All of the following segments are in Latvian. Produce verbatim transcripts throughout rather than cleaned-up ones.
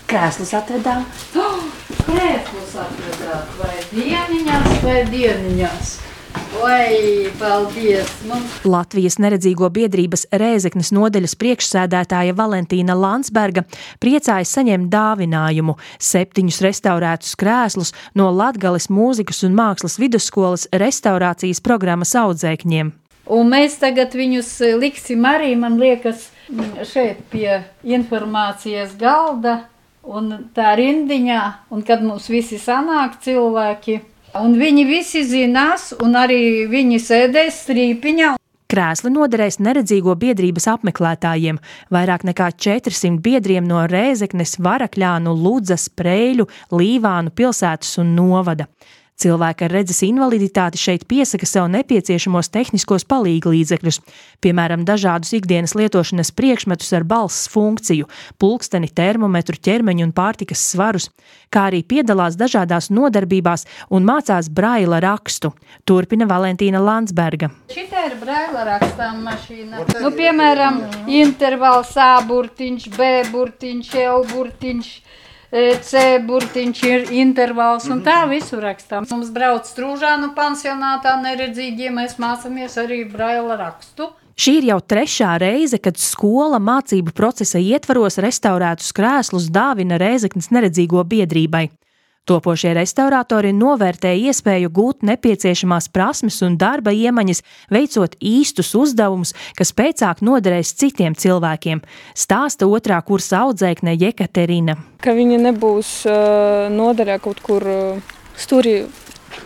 Krēslus atvedām. Oh, krēslus atvedāt, vai dieniņās, vai dieniņās. Vai, paldies! Mums... Latvijas neredzīgo biedrības Rēzeknes nodeļas priekšsēdētāja Valentīna Landsberga priecājas saņemt dāvinājumu septiņus restaurētus krēslus no Latgales mūzikas un mākslas vidusskolas restaurācijas programmas audzēkņiem. Un mēs tagad viņus liksim arī, man liekas, šeit pie informācijas galda un tā rindiņā, un kad mums visi sanāk cilvēki, un viņi visi zinās, un arī viņi sēdēs strīpiņā. Krēsli noderēs neredzīgo biedrības apmeklētājiem. Vairāk nekā četrsimt biedriem no Rēzeknes, Varakļānu, Ludzas, Preļu, Līvānu pilsētas un novada. Cilvēki ar redzes invaliditāti šeit piesaka sev nepieciešamos tehniskos palīglīdzekļus, piemēram, dažādus ikdienas lietošanas priekšmetus ar balss funkciju, pulksteni, termometru, ķermeņu un pārtikas svarus, kā arī piedalās dažādās nodarbībās un mācās braila rakstu, turpina Valentīna Landsberga. Šitā ir braila rakstām mašīna. Nu, piemēram, intervals A burtiņš, B burtiņš, L burtiņš, C burtiņš ir intervals, un tā visu rakstām. Mums brauc Strūžānu pansionātā neredzīgie, mēs mācāmies arī braila rakstu. Šī ir jau trešā reize, kad skola mācību procesa ietvaros restaurētus krēslus dāvina Rēzeknes neredzīgo biedrībai. Topošie restauratori novērtēja iespēju gūt nepieciešamās prasmes un darba iemaņas, veicot īstus uzdevumus, kas pēcāk noderēs citiem cilvēkiem, stāsta otrā kursa audzēkne Jekaterina. Ka viņi nebūs uh, noderē kaut kur uh, stūri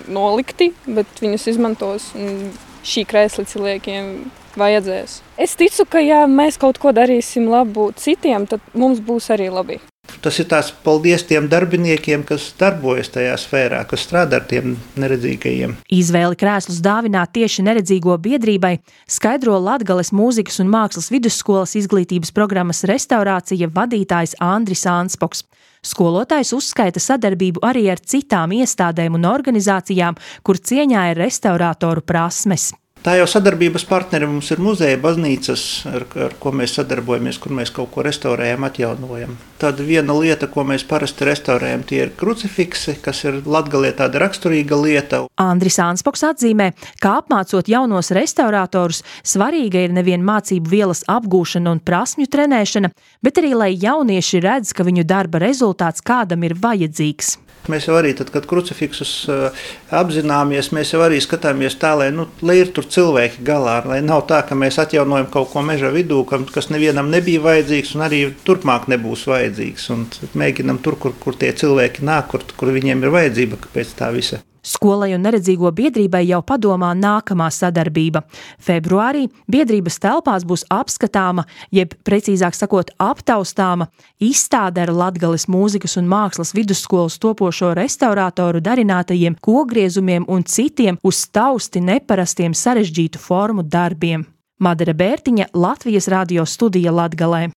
nolikti, bet viņus izmantos un šī krēsli cilvēkiem vajadzēs. Es ticu, ka ja mēs kaut ko darīsim labu citiem, tad mums būs arī labi. Tas ir tās paldies tiem darbiniekiem, kas darbojas tajā sfērā, kas strādā ar tiem neredzīgajiem. Izvēli krēslus dāvināt tieši neredzīgo biedrībai skaidro Latgales mūzikas un mākslas vidusskolas izglītības programmas restaurācija vadītājs Andris Anspoks. Skolotājs uzskaita sadarbību arī ar citām iestādēm un organizācijām, kur cieņā ir restaurātoru prasmes. Tā jau sadarbības partneri mums ir muzeja, baznīcas, ar, ar ko mēs sadarbojamies, kur mēs kaut ko restaurējam, atjaunojam. Tāda viena lieta, ko mēs parasti restaurējam, tie ir krucifiksi, kas ir Latgalē tāda raksturīga lieta. Andris Anspoks atzīmē, ka apmācot jaunos restaurātorus, svarīga ir nevien mācību vielas apgūšana un prasmju trenēšana, bet arī, lai jaunieši redz, ka viņu darba rezultāts kādam ir vajadzīgs. Mēs jau arī, tad, kad krucifiksus uh, apzināmies, mēs jau arī skatāmies tā, lai, nu, lai ir tur cilvēki galā, lai nav tā, ka mēs atjaunojam kaut ko meža vidū, kas nevienam nebija vajadzīgs un arī turpmāk nebūs vajadzīgs. Un mēģinam tur, kur, kur tie cilvēki nāk, kur, kur viņiem ir vajadzība pēc tā visa. Skolai un neredzīgo biedrībai jau padomā nākamā sadarbība. Februārī biedrības telpās būs apskatāma, jeb precīzāk sakot aptaustāma, izstāde ar Latgales mūzikas un mākslas vidusskolas topošo restaurātoru darinātajiem kogriezumiem un citiem uz tausti neparastiem sarežģītu formu darbiem. Madara Bērtiņa, Latvijas radio studija Latgalē.